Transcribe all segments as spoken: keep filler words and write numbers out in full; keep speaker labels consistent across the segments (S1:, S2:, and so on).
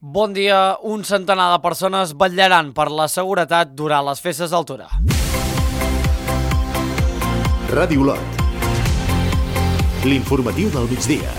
S1: Bon dia, un centenar de persones vetllaran per la seguretat durant les festes d'Altura.
S2: Ràdio Olot. L'informatiu del migdia.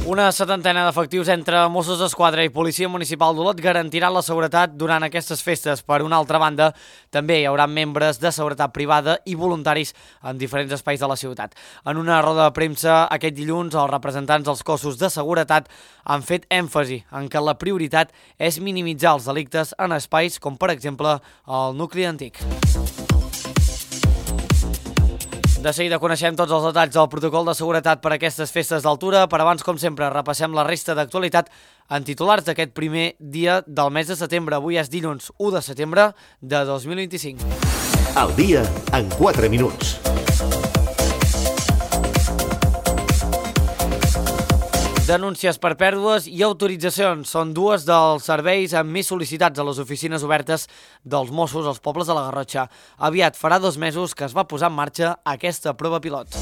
S1: Una setantena d'efectius entre Mossos d'Esquadra i Policia Municipal d'Olot garantiran la seguretat durant aquestes festes. Per una altra banda, també hi haurà membres de seguretat privada i voluntaris en diferents espais de la ciutat. En una roda de premsa aquest dilluns, els representants dels cossos de seguretat han fet èmfasi en que la prioritat és minimitzar els delictes en espais com, per exemple, el nucli antic. De seguida coneixem tots els detalls del protocol de seguretat per a aquestes festes d'Altura, però abans, com sempre, repassem la resta d'actualitat en titulars d'aquest primer dia del mes de setembre. Avui és dilluns u de setembre de dos mil vint-i-cinc.
S2: Al dia en quatre minuts.
S1: Denúncies per pèrdues i autoritzacions són dues dels serveis amb més sol·licitats a les oficines obertes dels Mossos als pobles de la Garrotxa. Aviat farà dos mesos que es va posar en marxa aquesta prova pilot.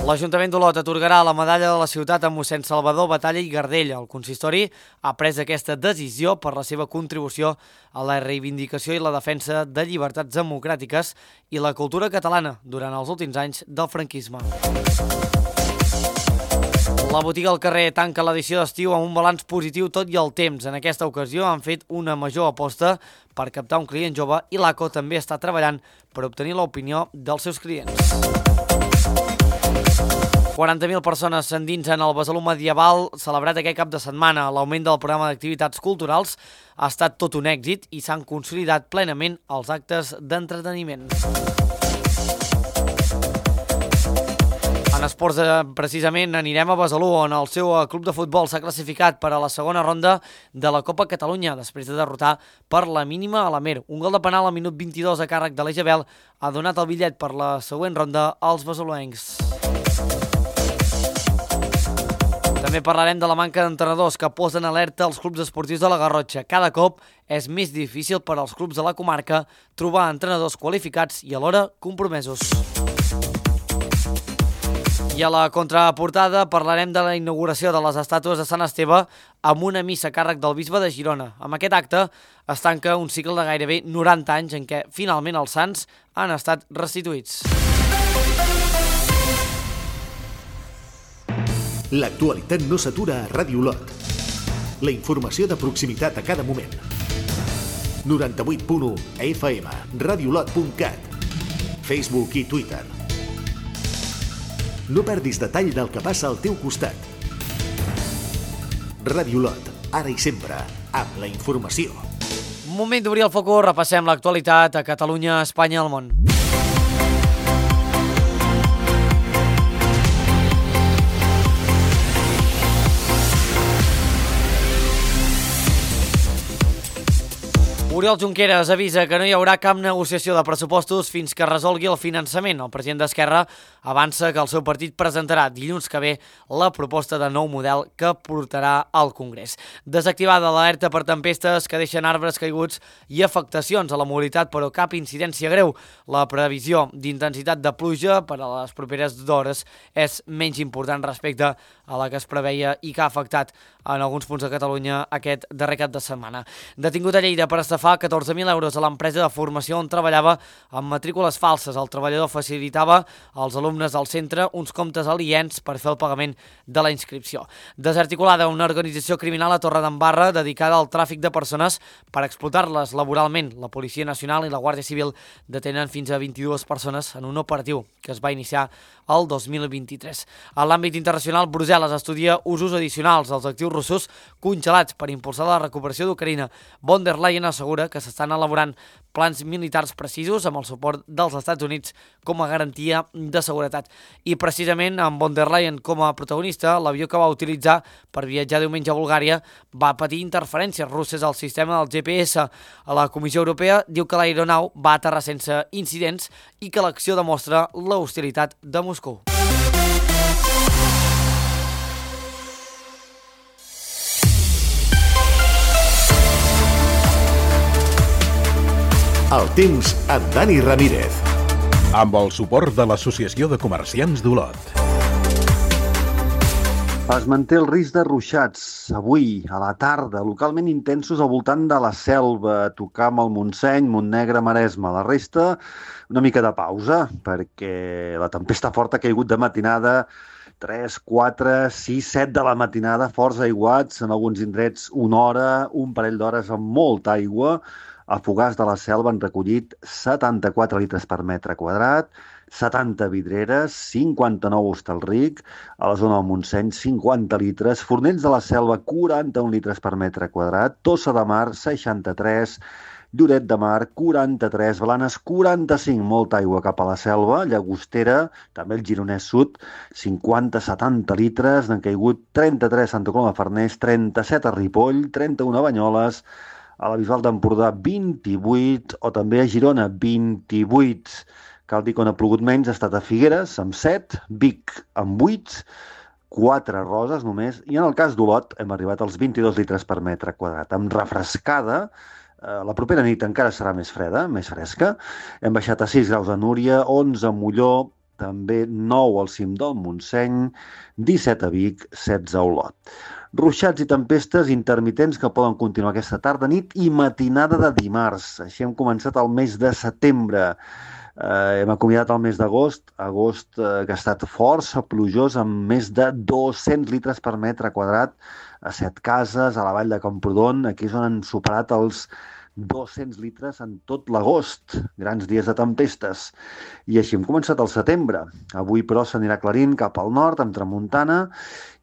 S1: L'Ajuntament d'Olot atorgarà la medalla de la ciutat a mossèn Salvador Batalla i Gardell. El consistori ha pres aquesta decisió per la seva contribució a la reivindicació i la defensa de llibertats democràtiques i la cultura catalana durant els últims anys del franquisme. La botiga al carrer tanca l'edició d'estiu amb un balanç positiu tot i el temps. En aquesta ocasió han fet una major aposta per captar un client jove i l'A C O també està treballant per obtenir l'opinió dels seus clients. quaranta mil persones s'endinsen al Besalú Medieval celebrat aquest cap de setmana. L'augment del programa d'activitats culturals ha estat tot un èxit i s'han consolidat plenament els actes d'entreteniment. En esports, precisament, anirem a Besalú, on el seu club de futbol s'ha classificat per a la segona ronda de la Copa Catalunya, després de derrotar per la mínima a l'Amer. Un gol de penal al minut vint-i-dos a càrrec de l'Ejabel ha donat el bitllet per la següent ronda als besaluencs. També parlarem de la manca d'entrenadors que posen alerta als clubs esportius de la Garrotxa. Cada cop és més difícil per als clubs de la comarca trobar entrenadors qualificats i alhora compromesos. I a la contraportada parlarem de la inauguració de les estàtues de Sant Esteve amb una missa a càrrec del bisbe de Girona. Amb aquest acte es tanca un cicle de gairebé noranta anys en què finalment els sants han estat restituïts.
S2: L'actualitat no s'atura a Ràdio Olot. La informació de proximitat a cada moment. noranta-vuit punt u F M, radiolot punt cat, Facebook i Twitter. No perdis detall del que passa al teu costat. Ràdio Olot, ara i sempre, amb la informació.
S1: Moment d'obrir el focus, repassem l'actualitat a Catalunya, Espanya i el món. Oriol Junqueras avisa que no hi haurà cap negociació de pressupostos fins que resolgui el finançament. El president d'Esquerra avança que el seu partit presentarà dilluns que ve la proposta de nou model que portarà al Congrés. Desactivada l'alerta per tempestes que deixen arbres caiguts i afectacions a la mobilitat, però cap incidència greu. La previsió d'intensitat de pluja per a les properes hores és menys important respecte a la que es preveia i que ha afectat en alguns punts de Catalunya aquest darrer cap de setmana. Detingut a Lleida per estafar catorze mil euros a l'empresa de formació on treballava amb matrícules falses. El treballador facilitava als alumnes del centre uns comptes aliens per fer el pagament de la inscripció. Desarticulada una organització criminal a Torredembarra dedicada al tràfic de persones per explotar-les laboralment. La Policia Nacional i la Guàrdia Civil detenen fins a vint-i-dues persones en un operatiu que es va iniciar el dos mil vint-i-tres. A l'àmbit internacional, Brussel·les estudia usos addicionals als actius russos congelats per impulsar la recuperació d'Ucraïna. Von der Leyen assegura que s'estan elaborant plans militars precisos amb el suport dels Estats Units com a garantia de seguretat. I precisament amb Von der Leyen com a protagonista, l'avió que va utilitzar per viatjar diumenge a Bulgària va patir interferències russes al sistema del G P S. La Comissió Europea diu que l'aeronau va aterrar sense incidents i que l'acció demostra l'hostilitat de Moscou.
S2: El temps amb Dani Ramírez.
S3: Amb el suport de l'Associació de Comerciants d'Olot. Es manté el risc de ruixats avui a la tarda, localment intensos al voltant de la Selva, a tocar amb el Montseny, Montnegre, Maresme. La resta, una mica de pausa, perquè la tempesta forta ha caigut de matinada, tres, quatre, sis, set de la matinada, forts aiguats, en alguns indrets una hora, un parell d'hores amb molta aigua. A Fogars de la Selva han recollit setanta-quatre litres per metre quadrat, setanta vidreres, cinquanta-nou a Hostalric, a la zona del Montseny cinquanta litres, Fornells de la Selva quaranta-un litres per metre quadrat, Tossa de Mar seixanta-tres, Lloret de Mar quaranta-tres, Blanes quaranta-cinc, molta aigua cap a la Selva, Llagostera, també el Gironès Sud, cinquanta a setanta litres, n'han caigut trenta-tres a Santa Coloma de Farners, trenta-set a Ripoll, trenta-un a Banyoles, a la Bisbal d'Empordà vint-i-vuit, o també a Girona vint-i-vuit. Cal dir que on ha plogut menys ha estat a Figueres, amb set, Vic, amb vuit, quatre Roses només, i en el cas d'Olot hem arribat als vint-i-dos litres per metre quadrat. Amb refrescada, eh, la propera nit encara serà més freda, més fresca. Hem baixat a sis graus a Núria, onze a Molló, també nou al cim del Montseny, disset a Vic, setze a Olot. Ruixats i tempestes intermitents que poden continuar aquesta tarda, nit i matinada de dimarts. Així hem començat el mes de setembre. Eh, hem acomiadat el mes d'agost, agost eh, que ha estat força plujós amb més de dos-cents litres per metre quadrat a Setcases, a la vall de Camprodon. Aquí és on han superat els dos-cents litres en tot l'agost, grans dies de tempestes. I així hem començat el setembre. Avui, però, s'anirà aclarint cap al nord, amb tramuntana,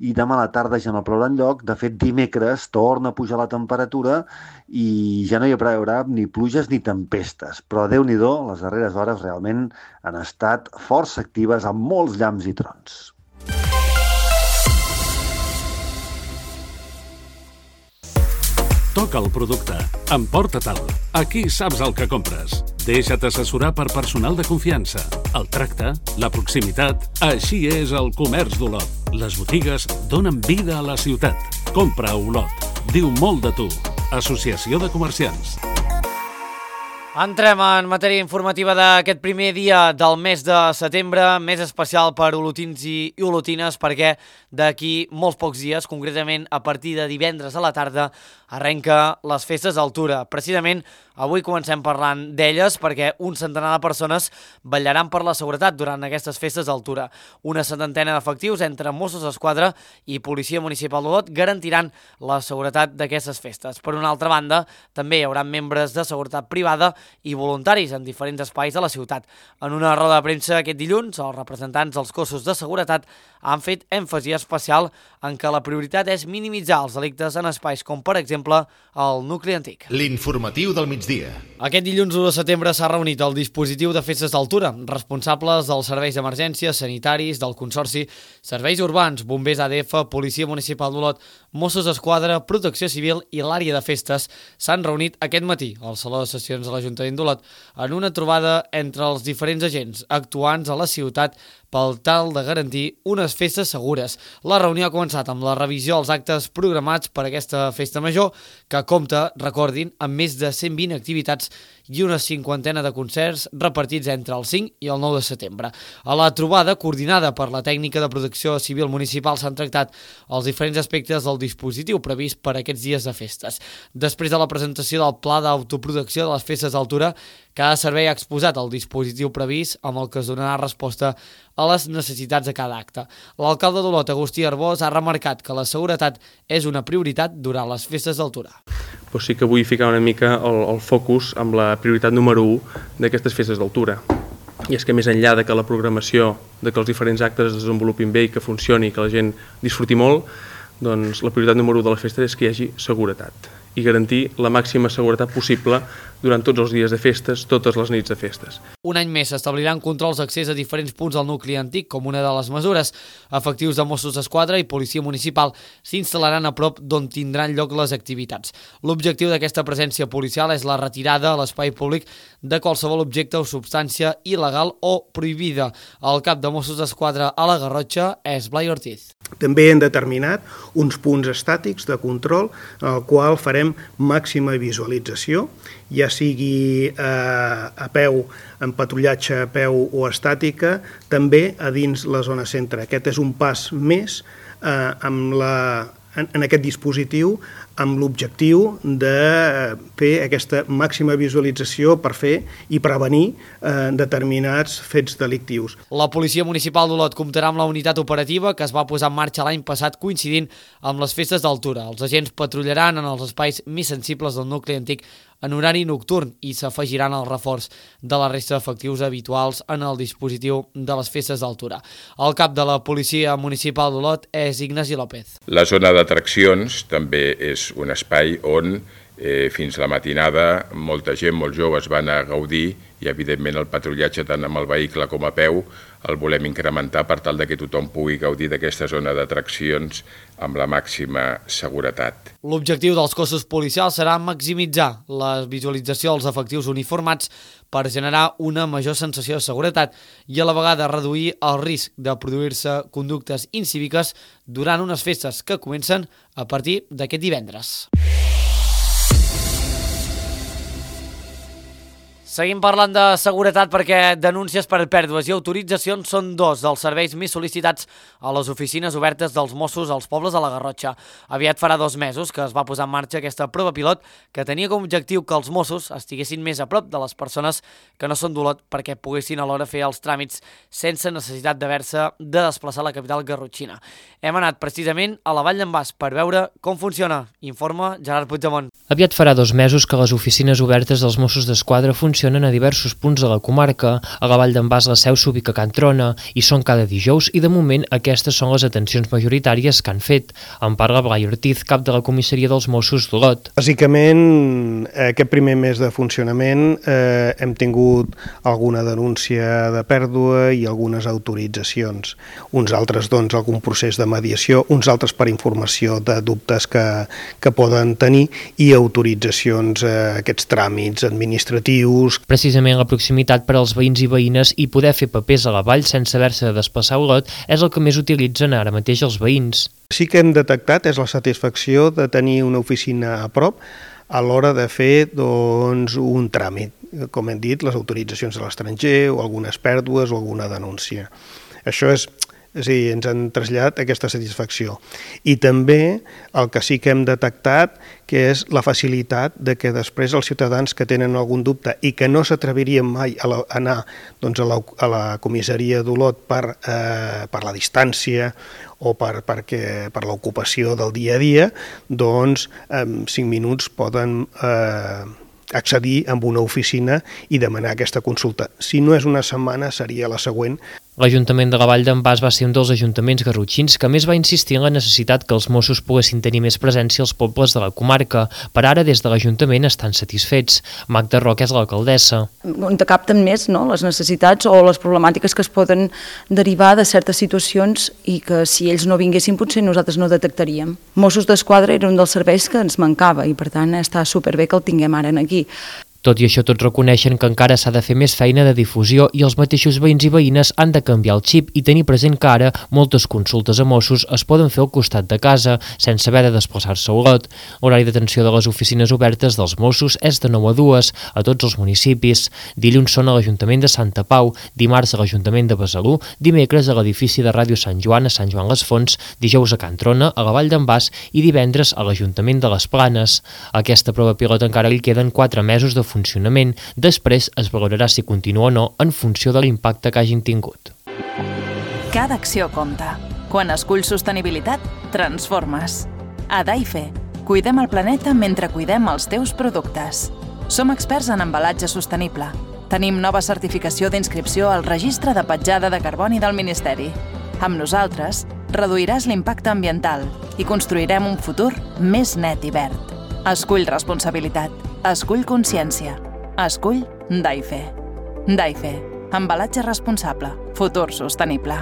S3: i demà a la tarda ja no plourà enlloc. De fet, dimecres torna a pujar la temperatura i ja no hi haurà ni pluges ni tempestes. Però, Déu-n'hi-do, les darreres hores realment han estat força actives amb molts llamps i trons.
S4: Toca el producte. Emporta-te'l. Aquí saps el que compres. Deixa't assessorar per personal de confiança. El tracte, la proximitat... Així és el comerç d'Olot. Les botigues donen vida a la ciutat. Compra a Olot. Diu molt de tu. Associació de Comerciants.
S1: Entrem en matèria informativa d'aquest primer dia del mes de setembre, més especial per olotins i olotines, perquè d'aquí molts pocs dies, concretament a partir de divendres a la tarda, arrenca les festes d'altura. Precisament avui comencem parlant d'elles perquè un centenar de persones vetllaran per la seguretat durant aquestes festes d'altura. Una setantena d'efectius entre Mossos d'Esquadra i Policia Municipal d'Olot garantiran la seguretat d'aquestes festes. Per una altra banda, també hi haurà membres de seguretat privada i voluntaris en diferents espais de la ciutat. En una roda de premsa aquest dilluns, els representants dels cossos de seguretat han fet èmfasi especial en què la prioritat és minimitzar els delictes en espais com, per exemple, el nucli antic.
S2: L'informatiu del migdia.
S1: Aquest dilluns u de setembre s'ha reunit el dispositiu de festes d'altura, responsables dels serveis d'emergència, sanitaris, del Consorci, serveis urbans, bombers A D F, Policia Municipal d'Olot, Mossos d'Esquadra, Protecció Civil i l'àrea de festes s'han reunit aquest matí al Saló de Sessions de l'Ajuntament d'Olot en una trobada entre els diferents agents actuants a la ciutat pel tal de garantir unes festes segures. La reunió ha començat amb la revisió dels actes programats per aquesta festa major, que compta, recordin, amb més de cent vint activitats i una cinquantena de concerts repartits entre el cinc i el nou de setembre. A la trobada, coordinada per la tècnica de protecció civil municipal, s'han tractat els diferents aspectes del dispositiu previst per aquests dies de festes. Després de la presentació del pla d'autoprotecció de les festes d'altura, cada servei ha exposat el dispositiu previst amb el que es donarà resposta a les necessitats de cada acte. L'alcalde d'Olot, Agustí Arbós, ha remarcat que la seguretat és una prioritat durant les festes d'altura.
S5: Però sí que vull ficar una mica el, el focus amb la prioritat número u d'aquestes festes d'altura. I és que més enllà de que la programació, de que els diferents actes es desenvolupin bé i que funcioni, que la gent disfruti molt, doncs la prioritat número u de la festa és que hi hagi seguretat i garantir la màxima seguretat possible durant tots els dies de festes, totes les nits de festes.
S1: Un any més s'establiran controls d'accés a diferents punts del nucli antic com una de les mesures. Efectius de Mossos d'Esquadra i Policia Municipal s'instal·laran a prop d'on tindran lloc les activitats. L'objectiu d'aquesta presència policial és la retirada a l'espai públic de qualsevol objecte o substància il·legal o prohibida. El cap de Mossos d'Esquadra a la Garrotxa és Blai Ortiz.
S6: També hem determinat uns punts estàtics de control en el qual farem màxima visualització, ja sigui eh, a peu, en patrullatge a peu o estàtica, també a dins la zona centre. Aquest és un pas més eh, amb la, en, en aquest dispositiu amb l'objectiu de fer aquesta màxima visualització per fer i prevenir eh, determinats fets delictius.
S1: La Policia Municipal d'Olot comptarà amb la unitat operativa que es va posar en marxa l'any passat coincidint amb les festes d'altura. Els agents patrullaran en els espais més sensibles del nucli antic en horari nocturn i s'afegiran al reforç de la resta d'efectius habituals en el dispositiu de les festes d'altura. El cap de la Policia Municipal d'Olot és Ignasi López.
S7: La zona d'atraccions també és un espai on eh, fins la matinada molta gent, molts joves van a gaudir i evidentment el patrullatge tant amb el vehicle com a peu el volem incrementar per tal de que tothom pugui gaudir d'aquesta zona d'atraccions amb la màxima seguretat.
S1: L'objectiu dels cossos policials serà maximitzar la visualització dels efectius uniformats per generar una major sensació de seguretat i a la vegada reduir el risc de produir-se conductes incíviques durant unes festes que comencen a partir d'aquest divendres. Seguim parlant de seguretat perquè denúncies per pèrdues i autoritzacions són dos dels serveis més sol·licitats a les oficines obertes dels Mossos als pobles de la Garrotxa. Aviat farà dos mesos que es va posar en marxa aquesta prova pilot que tenia com a objectiu que els Mossos estiguessin més a prop de les persones que no són d'Olot perquè poguessin alhora fer els tràmits sense necessitat d'haver-se de desplaçar a la capital garrotxina. Hem anat precisament a la Vall d'en Bas per veure com funciona. Informa Gerard Puigdemont.
S8: Aviat farà dos mesos que les oficines obertes dels Mossos d'Esquadra funcionen a diversos punts de la comarca. A la Vall d'en Bas la seu s'ubica a Can Trona i són cada dijous i de moment aquestes són les atencions majoritàries que han fet. En parla Blai Ortiz, cap de la comissaria dels Mossos d'Olot.
S6: Bàsicament, aquest primer mes de funcionament eh, hem tingut alguna denúncia de pèrdua i algunes autoritzacions. Uns altres, doncs, algun procés de mediació, uns altres per informació de dubtes que, que poden tenir i autoritzacions, eh, aquests tràmits administratius.
S8: Precisament la proximitat per als veïns i veïnes i poder fer papers a la vall sense haver-se de desplaçar a Olot és el que més utilitzen ara mateix els veïns.
S6: Sí que hem detectat és la satisfacció de tenir una oficina a prop a l'hora de fer doncs, un tràmit, com hem dit, les autoritzacions a l'estranger o algunes pèrdues o alguna denúncia. Això és... És a dir, ens han traslladat aquesta satisfacció. I també el que sí que hem detectat que és la facilitat de que després els ciutadans que tenen algun dubte i que no s'atrevirien mai a la, a anar doncs, a, la, a la comissaria d'Olot per, eh, per la distància o per, perquè, per l'ocupació del dia a dia, doncs en cinc minuts poden eh, accedir a una oficina i demanar aquesta consulta. Si no és una setmana, seria la següent.
S8: L'Ajuntament de la Vall d'en Bas va ser un dels ajuntaments garrotxins que més va insistir en la necessitat que els Mossos poguessin tenir més presència als pobles de la comarca. Per ara, des de l'Ajuntament estan satisfets. Magda Roca és l'alcaldessa.
S9: On capten més no, les necessitats o les problemàtiques que es poden derivar de certes situacions i que si ells no vinguessin potser nosaltres no detectaríem. Mossos d'Esquadra era un dels serveis que ens mancava i per tant està superbé que el tinguem ara aquí.
S8: Tot i això, tots reconeixen que encara s'ha de fer més feina de difusió i els mateixos veïns i veïnes han de canviar el xip i tenir present que ara moltes consultes a Mossos es poden fer al costat de casa, sense haver de desplaçar-se a Olot. L'horari d'atenció de les oficines obertes dels Mossos és de nou a dues a tots els municipis. Dilluns són a l'Ajuntament de Santa Pau, dimarts a l'Ajuntament de Besalú, dimecres a l'edifici de Ràdio Sant Joan a Sant Joan les Fonts, dijous a Can Trona, a la Vall d'en Bas i divendres a l'Ajuntament de les Planes. A aquesta prova pilot encara li queden quatre mesos de funcionament. Després es valorarà si continua o no en funció de l'impacte que hagin tingut.
S10: Cada acció compta. Quan esculls sostenibilitat, transformes. A Daife, cuidem el planeta mentre cuidem els teus productes. Som experts en embalatge sostenible. Tenim nova certificació d'inscripció al Registre de Petjada de Carboni del Ministeri. Amb nosaltres, reduiràs l'impacte ambiental i construirem un futur més net i verd. Escull responsabilitat. Escull consciència. Escull Daife. Daife. Embalatge responsable. Futur sostenible.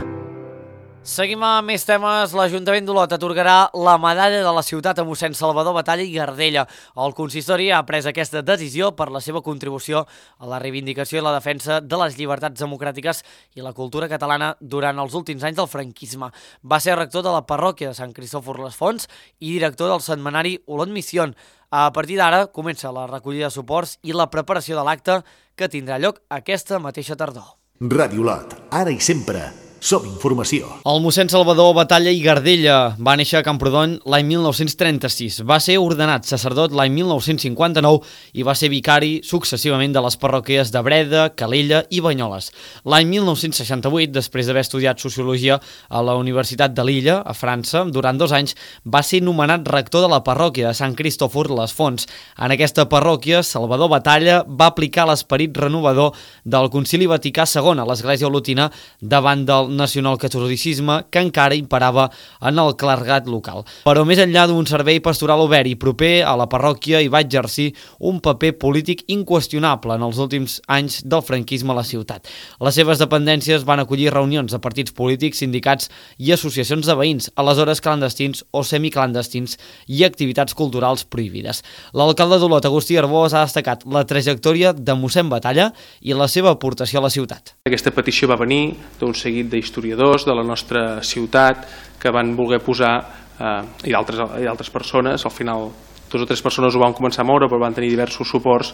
S1: Seguim amb més temes. L'Ajuntament d'Olot atorgarà la medalla de la ciutat a mossèn Salvador Batalla i Gardella. El consistori ha pres aquesta decisió per la seva contribució a la reivindicació i la defensa de les llibertats democràtiques i la cultura catalana durant els últims anys del franquisme. Va ser rector de la parròquia de Sant Cristòfor les Fonts i director del setmanari Olot Misión. A partir d'ara comença la recollida de suports i la preparació de l'acte que tindrà lloc aquesta mateixa tardor.
S2: Ràdio Olot, ara i sempre. Som informació.
S1: El mossèn Salvador Batalla i Gardella va néixer a Camprodon l'any mil nou-cents trenta-sis. Va ser ordenat sacerdot l'any mil nou-cents cinquanta-nou i va ser vicari successivament de les parròquies de Breda, Calella i Banyoles. L'any mil nou-cents seixanta-vuit, després d'haver estudiat Sociologia a la Universitat de Lilla, a França, durant dos anys, va ser nomenat rector de la parròquia de Sant Cristòfor les Fonts. En aquesta parròquia, Salvador Batalla va aplicar l'esperit renovador del Concili Vaticà segon a l'Església Olotina davant del nacionalcatolicisme que encara imperava en el clergat local. Però més enllà d'un servei pastoral obert i proper a la parròquia, hi va exercir un paper polític inqüestionable en els últims anys del franquisme a la ciutat. Les seves dependències van acollir reunions de partits polítics, sindicats i associacions de veïns, aleshores clandestins o semiclandestins, i activitats culturals prohibides. L'alcalde d'Olot, Agustí Arbós, ha destacat la trajectòria de mossèn Batalla i la seva aportació a la ciutat.
S5: Aquesta petició va venir d'un seguit de historiadors de la nostra ciutat que van voler posar, eh, i d'altres persones, al final dos o tres persones ho van començar a moure, però van tenir diversos suports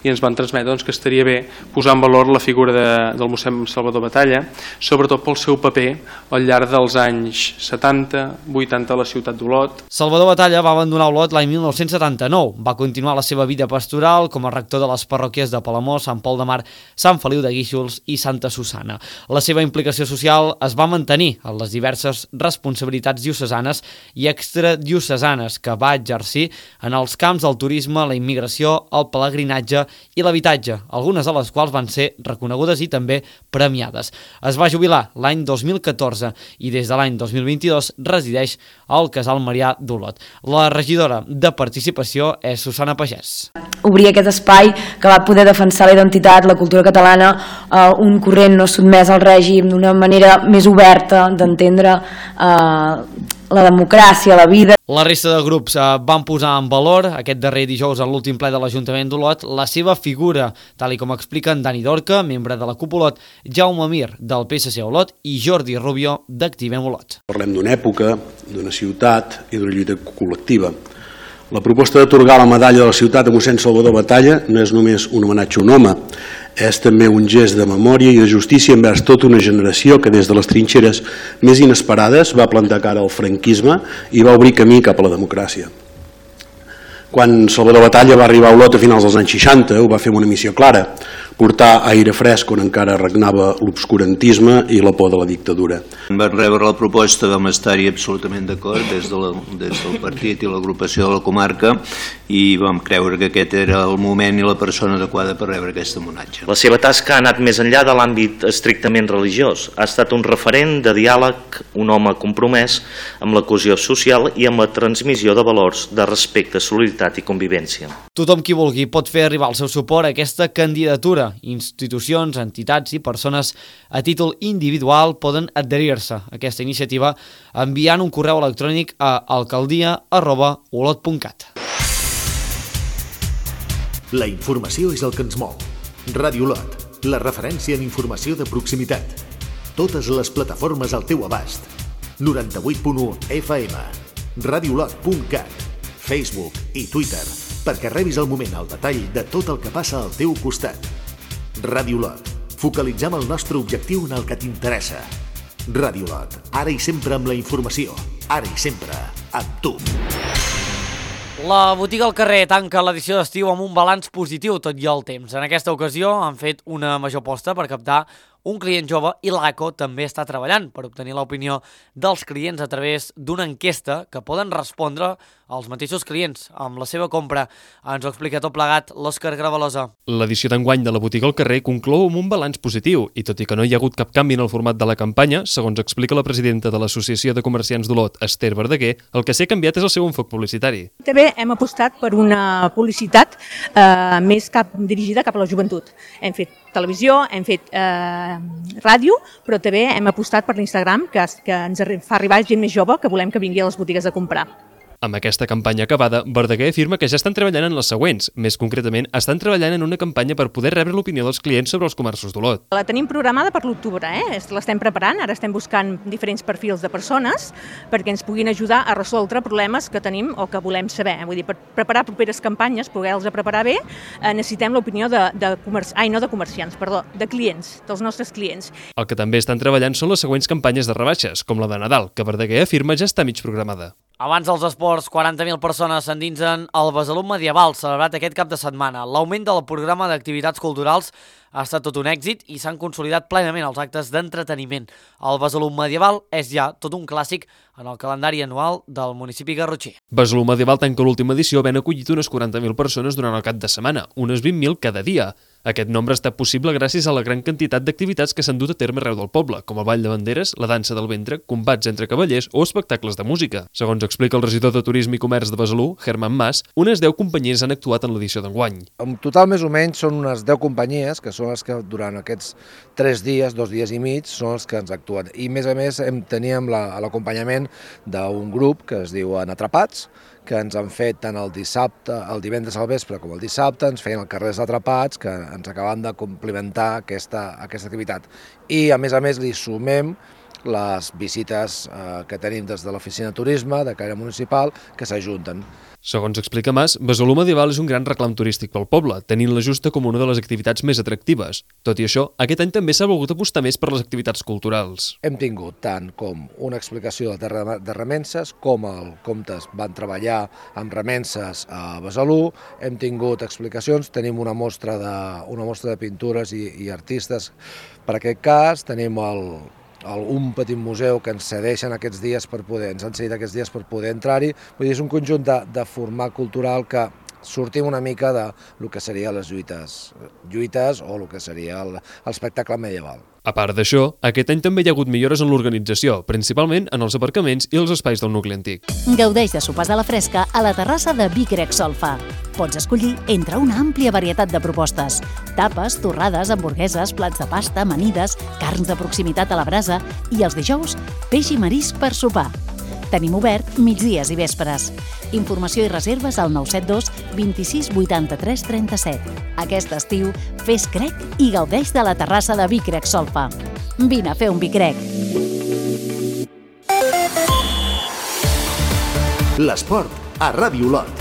S5: i ens van transmetre doncs, que estaria bé posar en valor la figura de, del mossèn Salvador Batalla, sobretot pel seu paper al llarg dels anys setanta, vuitanta a la ciutat d'Olot.
S1: Salvador Batalla va abandonar Olot l'any mil nou-cents setanta-nou. Va continuar la seva vida pastoral com a rector de les parròquies de Palamós, Sant Pol de Mar, Sant Feliu de Guíxols i Santa Susana. La seva implicació social es va mantenir en les diverses responsabilitats diocesanes i extradiocesanes que va exercir en en els camps del turisme, la immigració, el pelegrinatge i l'habitatge, algunes de les quals van ser reconegudes i també premiades. Es va jubilar l'any dos mil catorze i des de l'any dos mil vint-i-dos resideix al Casal Marià d'Olot. La regidora de Participació és Susana Pagès.
S11: Obrir aquest espai que va poder defensar la identitat, la cultura catalana, eh, un corrent no sotmès al règim, d'una manera més oberta d'entendre eh, la democràcia, la vida.
S1: La resta de grups eh, van posar en valor aquest darrer dijous en l'últim ple de l'Ajuntament d'Olot la seva figura, tal i com expliquen Dani Dorca, membre de la CUP Olot, Jaume Mir, del P S C Olot, i Jordi Rubio, d'Activem Olot.
S12: Parlem d'una època, d'una ciutat i d'una lluita col·lectiva. La proposta d'atorgar la medalla de la ciutat a mossèn Salvador Batalla no és només un homenatge a un home, és també un gest de memòria i de justícia envers tota una generació que des de les trinxeres més inesperades va plantar cara al franquisme i va obrir camí cap a la democràcia. Quan Salvador Batalla va arribar a Olot a finals dels anys seixanta, ho va fer amb una missió clara, portar aire fresc on encara regnava l'obscurantisme i la por de la dictadura.
S13: Vam rebre la proposta, vam estar-hi absolutament d'acord des, de la, des del partit i l'agrupació de la comarca i vam creure que aquest era el moment i la persona adequada per rebre aquest homenatge.
S14: La seva tasca ha anat més enllà de l'àmbit estrictament religiós. Ha estat un referent de diàleg, un home compromès amb la cohesió social i amb la transmissió de valors de respecte, solidaritat i convivència.
S1: Tothom qui vulgui pot fer arribar el seu suport a aquesta candidatura. Institucions, entitats i persones a títol individual poden adherir-se a aquesta iniciativa enviant un correu electrònic a alcaldia arroba olot punt cat.
S2: La informació és el que ens mou. Ràdio Olot, la referència en informació de proximitat. Totes les plataformes al teu abast. noranta-vuit punt u F M, radiolot punt cat, Facebook i Twitter, perquè rebis al moment el detall de tot el que passa al teu costat. Ràdio Olot, focalitzem el nostre objectiu en el que t'interessa. Ràdio Olot, ara i sempre amb la informació, ara i sempre amb tu.
S1: La botiga al carrer tanca l'edició d'estiu amb un balanç positiu tot i el temps. En aquesta ocasió han fet una major aposta per captar un client jove i l'A C O també està treballant per obtenir l'opinió dels clients a través d'una enquesta que poden respondre als mateixos clients amb la seva compra. Ens ho explica tot plegat l'Òscar Gravalosa.
S15: L'edició d'enguany de la botiga al carrer conclou amb un balanç positiu i tot i que no hi ha hagut cap canvi en el format de la campanya, segons explica la presidenta de l'Associació de Comerciants d'Olot, Esther Verdaguer, el que s'ha canviat és el seu enfoc publicitari.
S16: També hem apostat per una publicitat eh, més cap, dirigida cap a la joventut. Hem fet televisió, hem fet eh, ràdio, però també hem apostat per l'Instagram, que, que ens fa arribar gent més jove que volem que vingui a les botigues a comprar.
S15: Amb aquesta campanya acabada, Verdaguer afirma que ja estan treballant en les següents. Més concretament, estan treballant en una campanya per poder rebre l'opinió dels clients sobre els comerços d'Olot.
S16: La tenim programada per l'octubre, eh? l'estem preparant, ara estem buscant diferents perfils de persones perquè ens puguin ajudar a resoldre problemes que tenim o que volem saber. Vull dir, per preparar properes campanyes, poder-los preparar bé, eh, necessitem l'opinió de, de, comerci... Ai, no de comerciants, perdó, de clients, dels nostres clients.
S15: El que també estan treballant són les següents campanyes de rebaixes, com la de Nadal, que Verdaguer afirma ja està mig programada.
S1: Abans dels esports, quaranta mil persones s'endinsen al Besalú Medieval, celebrat aquest cap de setmana. L'augment del programa d'activitats culturals ha estat tot un èxit i s'han consolidat plenament els actes d'entreteniment. El Besalú Medieval és ja tot un clàssic en el calendari anual del municipi garrotxí.
S15: Besalú Medieval tanca l'última edició havent acollit unes quaranta mil persones durant el cap de setmana, unes vint mil cada dia. Aquest nombre ha estat possible gràcies a la gran quantitat d'activitats que s'han dut a terme arreu del poble, com el ball de banderes, la dansa del ventre, combats entre cavallers o espectacles de música. Segons explica el regidor de Turisme i Comerç de Besalú, Germán Mas, unes deu companyies han actuat en l'edició d'enguany.
S17: En total, més o menys, són unes deu companyies, que són les que durant aquests tres dies, dos dies i mig, són els que ens actuen. I, més a més, hem, teníem l'acompanyament d'un grup que es diu Atrapats, que ens han fet tant el dissabte, el divendres al vespre com el dissabte, ens feien el Carrers Atrapats, que ens acaben de complementar aquesta, aquesta activitat. I, a més a més, li sumem les visites eh, que tenim des de l'oficina de turisme, de caire municipal, que s'ajunten.
S15: Segons explica Mas, Besalú Medieval és un gran reclam turístic pel poble, tenint-la justa com una de les activitats més atractives. Tot i això, aquest any també s'ha volgut apostar més per les activitats culturals.
S17: Hem tingut tant com una explicació de, de remenses, com els comtes van treballar amb remenses a Besalú, hem tingut explicacions, tenim una mostra de, una mostra de pintures i, i artistes per aquest cas, tenim el un petit museu que ens cedeixen aquests dies per poder, ens han cedit aquests dies per poder entrar-hi. Vull dir, és un conjunt de, de format cultural que sortim una mica de lo que serien les lluites, lluites o el que seria l'espectacle medieval.
S15: A part d'això, aquest any també hi ha hagut millores en l'organització, principalment en els aparcaments i els espais del nucli antic.
S18: Gaudeix de sopars a la fresca a la terrassa de Vic Grec Solfa. Pots escollir entre una àmplia varietat de propostes. Tapes, torrades, hamburgueses, plats de pasta, amanides, carns de proximitat a la brasa i els dijous, peix i marisc per sopar. Tenim obert migdies i vespres. Informació i reserves al nou set dos vint-i-sis vuitanta-tres trenta-set. Aquest estiu, fes crec i gaudeix de la terrassa de Vic Grec Solfa. Vine a fer un Vic Grec.
S2: L'esport a Ràdio Olot.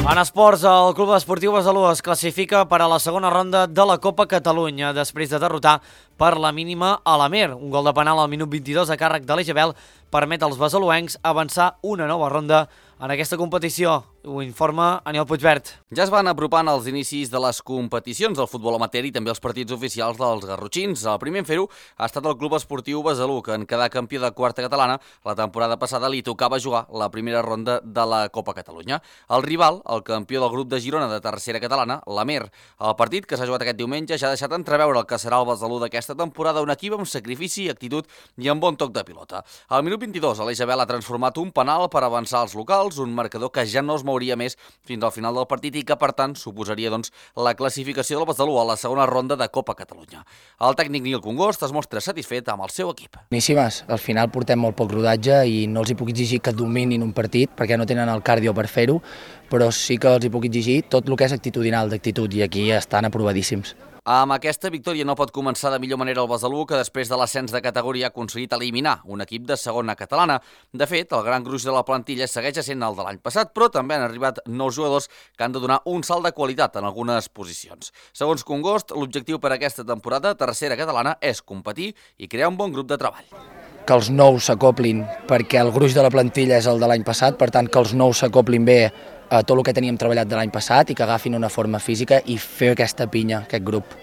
S1: En esports, el Club Esportiu Besalú es classifica per a la segona ronda de la Copa Catalunya després de derrotar per la mínima a l'Amer. Un gol de penal al minut vint-i-dos a càrrec de l'Eixabel permet als besaluencs avançar una nova ronda en aquesta competició. Ho informa Aniol Puigvert.
S19: Ja es van apropant els inicis de les competicions del futbol amateur i també els partits oficials dels garrotxins. El primer en fer-ho ha estat el Club Esportiu Besalú, que en quedar campió de quarta catalana, la temporada passada li tocava jugar la primera ronda de la Copa Catalunya. El rival, el campió del grup de Girona de tercera catalana, l'Amer. El partit, que s'ha jugat aquest diumenge, ja ha deixat entreveure el que serà el Besalú d'aquesta temporada, un equip amb sacrifici, actitud i amb bon toc de pilota. Al minut vint-i-dos, l'Eixabel ha transformat un penal per avançar als locals, un marcador que ja no es mouria més fins al final del partit i que, per tant, suposaria doncs, la classificació del Besalú a la segona ronda de Copa Catalunya. El tècnic Nil Congost es mostra satisfet amb el seu equip.
S20: Boníssimes. Al final portem molt poc rodatge i no els hi puc exigir que dominin un partit perquè no tenen el cardio per fer-ho, però sí que els hi puc exigir tot el que és actitudinal, d'actitud, i aquí estan aprovadíssims.
S19: Amb aquesta victòria no pot començar de millor manera el Besalú, que després de l'ascens de categoria ha aconseguit eliminar un equip de segona catalana. De fet, el gran gruix de la plantilla segueix sent el de l'any passat, però també han arribat nous jugadors que han de donar un salt de qualitat en algunes posicions. Segons Congost, l'objectiu per a aquesta temporada, tercera catalana, és competir i crear un bon grup de treball.
S20: Que els nous s'acoplin, perquè el gruix de la plantilla és el de l'any passat, per tant que els nous s'acoplin bé a tot el que teníem treballat de l'any passat i que agafin una forma física i fer aquesta pinya, aquest grup.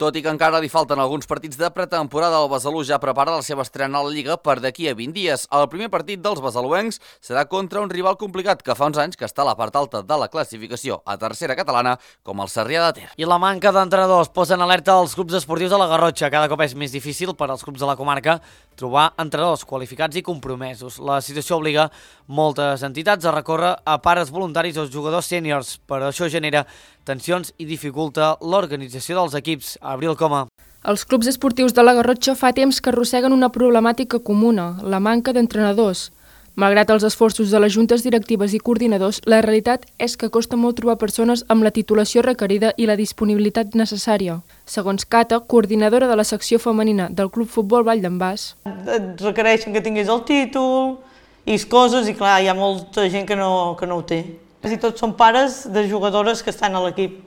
S19: Tot i que encara li falten alguns partits de pretemporada, el Besalú ja prepara la seva estrena a la Lliga per d'aquí a vint dies. El primer partit dels besaluencs serà contra un rival complicat que fa uns anys que està a la part alta de la classificació a tercera catalana, com el Sarrià de Ter.
S1: I la manca d'entrenadors posa en alerta els clubs esportius de la Garrotxa. Cada cop és més difícil per als clubs de la comarca trobar entrenadors qualificats i compromesos. La situació obliga moltes entitats a recórrer a pares voluntaris o jugadors sèniors, però això genera tensions i dificulta l'organització dels equips. Abril Coma.
S21: Els clubs esportius de la Garrotxa fa temps que arrosseguen una problemàtica comuna, la manca d'entrenadors. Malgrat els esforços de les juntes directives i coordinadors, la realitat és que costa molt trobar persones amb la titulació requerida i la disponibilitat necessària. Segons Cata, coordinadora de la secció femenina del Club Futbol Vall d'en Bas.
S22: Et requereixen que tinguis el títol i coses, i clar, hi ha molta gent que no, que no ho té. I tots són pares de jugadores que estan a l'equip,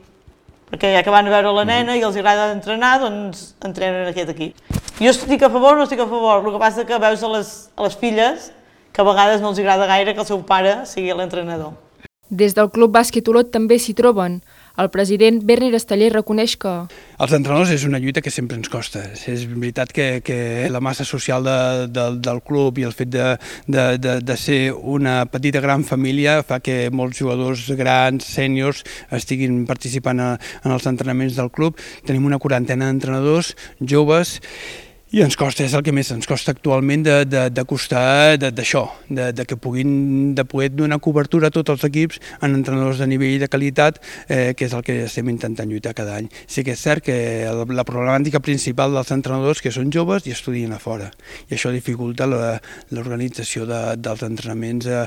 S22: perquè ja que van a veure la nena i els agrada entrenar, doncs entrenen aquest equip. Jo estic a favor o no estic a favor, el que passa que veus a les, a les filles que a vegades no els agrada gaire que el seu pare sigui l'entrenador.
S21: Des del Club Bàsquet Olot també s'hi troben. El president Berni Rasteller reconeix que...
S23: Els entrenadors és una lluita que sempre ens costa. És veritat que, que la massa social de, de, del club i el fet de, de, de, de ser una petita gran família fa que molts jugadors grans, sèniors, estiguin participant a, en els entrenaments del club. Tenim una quarantena d'entrenadors joves i ens costa, és el que més ens costa actualment de, de, de costar d'això, de, de que puguin de poder donar cobertura a tots els equips en entrenadors de nivell de qualitat, eh, que és el que estem intentant lluitar cada any. Sí que és cert que la problemàtica principal dels entrenadors que són joves i estudien a fora, i això dificulta l'organització de, dels entrenaments eh,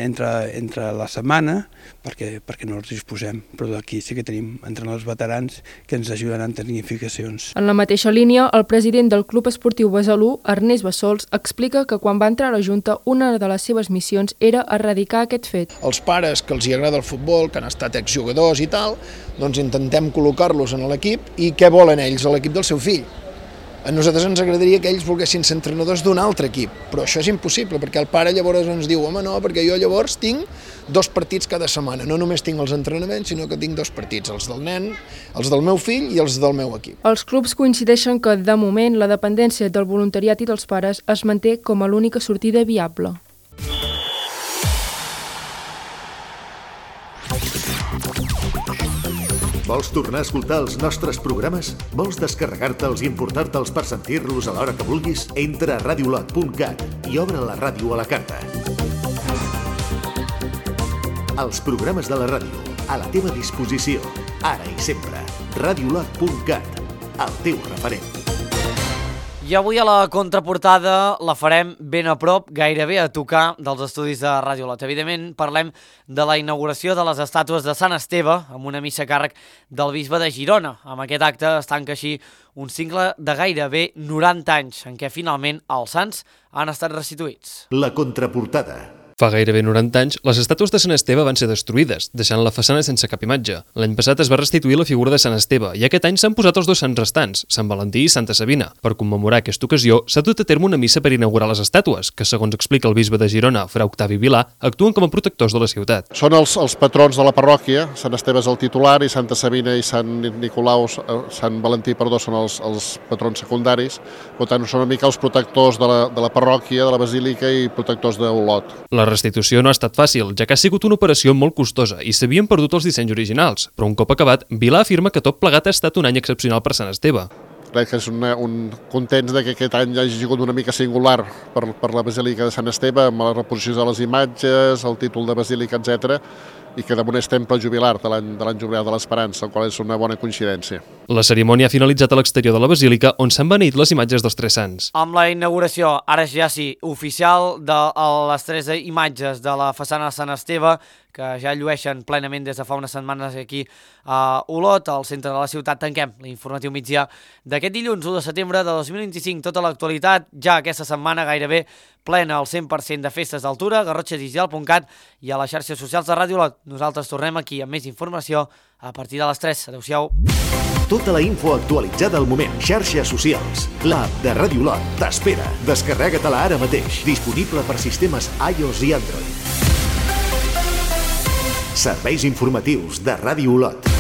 S23: entre, entre la setmana, perquè, perquè no els disposem, però aquí sí que tenim entrenadors veterans que ens ajuden en tecnificacions.
S21: En la mateixa línia, el president del Club Esportiu Besalú, Ernest Bassols, explica que quan va entrar a la Junta una de les seves missions era erradicar aquest fet.
S24: Els pares que els hi agrada el futbol, que han estat exjugadors i tal, doncs intentem col·locar-los en l'equip i què volen ells a l'equip del seu fill. A nosaltres ens agradaria que ells volguessin ser entrenadors d'un altre equip, però això és impossible, perquè el pare llavors ens diu home no, perquè jo llavors tinc dos partits cada setmana, no només tinc els entrenaments, sinó que tinc dos partits, els del nen, els del meu fill i els del meu equip.
S21: Els clubs coincideixen que, de moment, la dependència del voluntariat i dels pares es manté com a l'única sortida viable.
S2: Vols tornar a escoltar els nostres programes? Vols descarregar-te'ls i importar-te'ls per sentir-los a l'hora que vulguis? Entra a radiolot punt cat i obre la ràdio a la carta. Els programes de la ràdio, a la teva disposició, ara i sempre. radiolot punt cat, el teu referent.
S1: I avui a la contraportada la farem ben a prop, gairebé a tocar dels estudis de Ràdio Olot. Evidentment parlem de la inauguració de les estàtues de Sant Esteve amb una missa a càrrec del bisbe de Girona. Amb aquest acte es tanca així un cicle de gairebé noranta anys en què finalment els sants han estat restituïts.
S2: La contraportada.
S15: Fa gairebé noranta anys, les estàtues de Sant Esteve van ser destruïdes, deixant la façana sense cap imatge. L'any passat es va restituir la figura de Sant Esteve i aquest any s'han posat els dos sants restants, Sant Valentí i Santa Sabina. Per commemorar aquesta ocasió, s'ha dut a terme una missa per inaugurar les estàtues, que, segons explica el bisbe de Girona, Fra Octavi Vilà, actuen com a protectors de la ciutat.
S25: Són els, els patrons de la parròquia, Sant Esteve és el titular i Santa Sabina i Sant Nicolau, Sant Valentí, perdó, són els, els patrons secundaris. Per tant, són una mica els protectors de la, de la parròquia, de la basílica i protectors d'Olot.
S15: La restitució no ha estat fàcil, ja que ha sigut una operació molt costosa i s'havien perdut els dissenys originals, però un cop acabat, Vilà afirma que tot plegat ha estat un any excepcional per Sant Esteve.
S25: Crec que és una, un contents de que aquest any hagi sigut una mica singular per, per la Basílica de Sant Esteve, amb la reposició de les imatges, el títol de Basílica, etcètera, i que damunt és temple jubilar de l'any jubilar de l'Esperança, el qual és una bona coincidència.
S15: La cerimònia ha finalitzat a l'exterior de la Basílica, on s'han beneït les imatges dels tres sants.
S1: Amb la inauguració, ara ja sí, oficial de les tres imatges de la façana de Sant Esteve, que ja llueixen plenament des de fa unes setmanes aquí a Olot, al centre de la ciutat. Tanquem l'informatiu migdia d'aquest dilluns u de setembre de dos mil vint-i-cinc. Tota l'actualitat, ja aquesta setmana gairebé plena al cent per cent de festes d'altura, garrotxa digital punt cat i a les xarxes socials de Ràdio Olot. Nosaltres tornem aquí amb més informació a partir de les tres. Adéu-siau.
S2: Tota la info actualitzada al moment. Xarxes socials. L'app de Ràdio Olot t'espera. Descarrega-te-la ara mateix. Disponible per sistemes iOS i Android. Serveis informatius de Ràdio Olot.